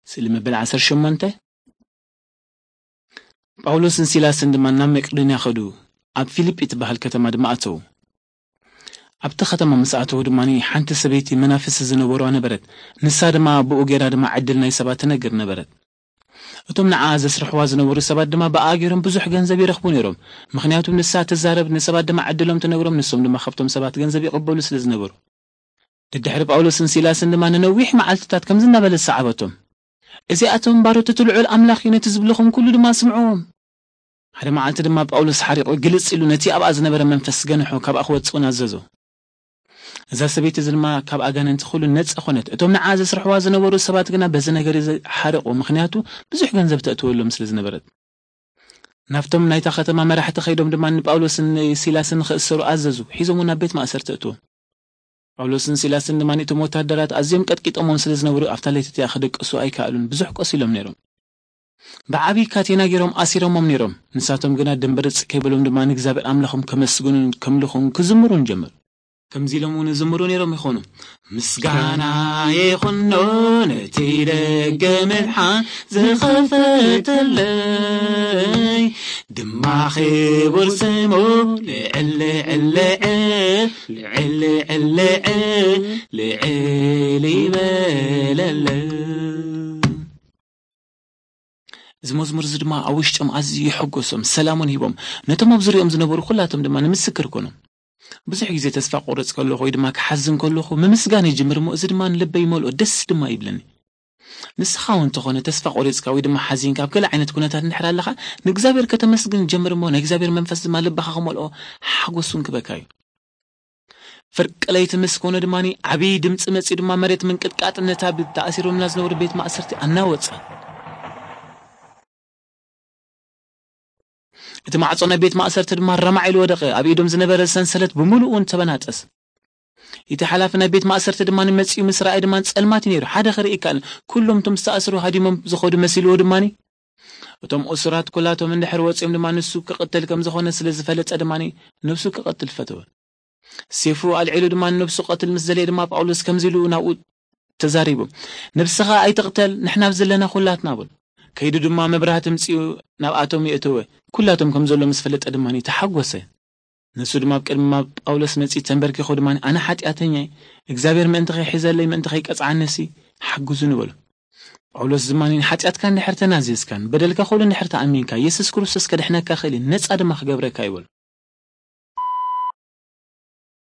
ስእሊ መበል ዓሰርተ ሸሞንተ። ጳውሎስን ሲላስን ድማ ናብ መቄዶንያ ኸዱ፣ ኣብ ፊልጲ ትበሃል ከተማ ድማ ኣተዉ። ኣብቲ ኸተማ ምስ ኣተዉ ድማ ሓንቲ ሰበይቲ መናፍስቲ ዝነበሩዋ ነበረት። ንሳ ድማ ብኡ ገይራ ድማ ዕድል ናይ ሰባት ትነግር ነበረት። እቶም ንዓ ዘስርሕዋ ዝነበሩ ሰባት ድማ ብኣ ገይሮም ብዙሕ ገንዘብ ይረኽቡ ነይሮም። ምኽንያቱ ንሳ ትዛረብ፣ ንሰባት ድማ ዕድሎም ትነግሮም፣ ንሶም ድማ ካብቶም ሰባት ገንዘብ ይቕበሉ ስለ ዝነበሩ። ድድሕሪ ጳውሎስን ሲላስን ድማ ንነዊሕ መዓልትታት ከምዚ እናበለ ዝሰዓበቶም፣ "እዚኣቶም ባሮት እቲ ልዑል ኣምላኽ እዩ፣ ነቲ ዝብልኹም ኩሉ ድማ ስምዕዎም።" ሓደ መዓልቲ ድማ ጳውሎስ ሓሪቑ ግልጽ ኢሉ ነቲ ኣብኣ ዝነበረ መንፈስ ገንሖ፣ ካብኣ ክወጽእ እውን ኣዘዞ። እዛ ሰበይቲ እዚ ድማ ካብ ኣጋንንቲ ኩሉ ነጻ ኾነት። እቶም ንዓ ዘስርሕዋ ዝነበሩ ሰባት ግና በዚ ነገር እዚ ሓረቑ፣ ምኽንያቱ ብዙሕ ገንዘብ ተእትወሎም ስለ ዝነበረት። ናብቶም ናይታ ከተማ መራሕቲ ከይዶም ድማ ንጳውሎስን ንሲላስን ንኽእሰሩ ኣዘዙ። ሒዞም እውን ናብ ቤት ማእሰርቲ እትዎም። ጳውሎስን ሲላስን ድማ እቶም ወታደራት ኣዝዮም ቀጥቂጦሞም ስለ ዝነበሩ ኣብታ ለይቲ እቲኣ ክድቅሱ ኣይከኣሉን። ብዙሕ ቆሲሎም ነይሮም። ብዓብዪ ካቴና ገይሮም ኣሲሮሞም ነይሮም። ንሳቶም ግና ድንበርጽ ከይበሎም ድማ ንእግዚኣብሔር ኣምላኾም ከመስግኑን ከምልኹን ክዝምሩን ጀመሩ። ከምዚ ኢሎም እውን ዝምሩ ነይሮም ይኾኑ። "ምስጋና ይኹኖ ነቲ ደገ ምድሓን ዝኸፈተለይ፣ ድማ ክቡር ስሙ ልዕል ልዕል ልዕል ልዕል ልዕል ይበለለይ." እዚ መዝሙር እዚ ድማ ኣብ ውሽጦም ኣዝዩ የሐጎሶም፣ ሰላሙን ሂቦም። ነቶም ኣብ ዙሪኦም ዝነበሩ ኩላቶም ድማ ንምስክር ኮኖም። ብዙሕ ግዜ ተስፋ ቆርጽ ከለኹ ወይ ድማ ክሓዝን ከለኹ ምምስጋን ይጅምር እሞ፣ እዚ ድማ ንልበይ ይመልኦ፣ ደስ ድማ ይብለኒ። ንስኻ እውን እንተኾነ ተስፋ ቆሪጽካ ወይ ድማ ሓዚንካ ኣብ ገለ ዓይነት ኩነታት እንድሕር ኣለኻ፣ ንእግዚኣብሔር ከተመስግን ጀምር እሞ፣ ናይ እግዚኣብሔር መንፈስ ድማ ልብኻ ክመልኦ ሓጎስ እውን ክበካ እዩ። ፍርቂ ለይቲ ምስ ኮነ ድማ ዓብዪ ድምፂ መፂኡ ድማ መሬት ምንቅጥቃጥን ነታ ብ-፣ ተኣሲሮምላ ዝነበሩ ቤት ማእሰርቲ ኣናወጸ። እቲ ማዕጾ ናይ ቤት ማእሰርቲ ድማ ረማዕ ኢሉ ወደቐ። ኣብ ኢዶም ዝነበረ ሰንሰለት ብምሉኡ እውን ተበናጠስ። እቲ ሓላፊ ናይ ቤት ማእሰርቲ ድማ መጺኡ ምስ ረኣየ ድማ ጸልማት እዩ ነይሩ። ሓደ ክርኢ ይከኣል። ኩሎም እቶም ዝተኣስሩ ሃዲሞም ዝኸዱ መሲልዎ ድማ፣ እቶም እሱራት ኩላቶም እንድሕር ወጺኦም ድማ ንሱ ክቕተል ከም ዝኾነ ስለ ዝፈለጠ ድማ ነብሱ ክቐትል ፈተወ። ሴፉ ኣልዒሉ ድማ ንነብሱ ቀትል ምስ ደለየ ድማ ጳውሎስ ከምዚ ኢሉ ናብኡ ተዛሪቡ፣ "ነብስኻ ኣይትቕተል፣ ንሕና ኣብ ዘለና ኩላትና" በሉ። ከይዱ ድማ መብራህቲ ምጺኡ ናብኣቶም የእተወ። ኩላቶም ከም ዘሎ ምስ ፈለጠ ድማ ተሓጎሰ። ንሱ ድማ ኣብ ቅድሚ ጳውሎስ መጺኡ ተንበርኪኹ ድማ፣ "ኣነ ሓጢኣተኛ እየ፣ እግዚኣብሔር ምእንቲ ከይሒዘለይ ምእንቲ ከይቀጽዓኒሲ ሓግዙኒ" በሉ። ጳውሎስ ድማ፣ "ንሓጢኣትካ እንድሕር ተናዚዝካን በደልካ ኩሉ እንድሕር ተኣሚንካ፣ የሱስ ክርስቶስ ከድሕነካ ክእል እዩ፣ ነጻ ድማ ክገብረካ እዩ" በሉ።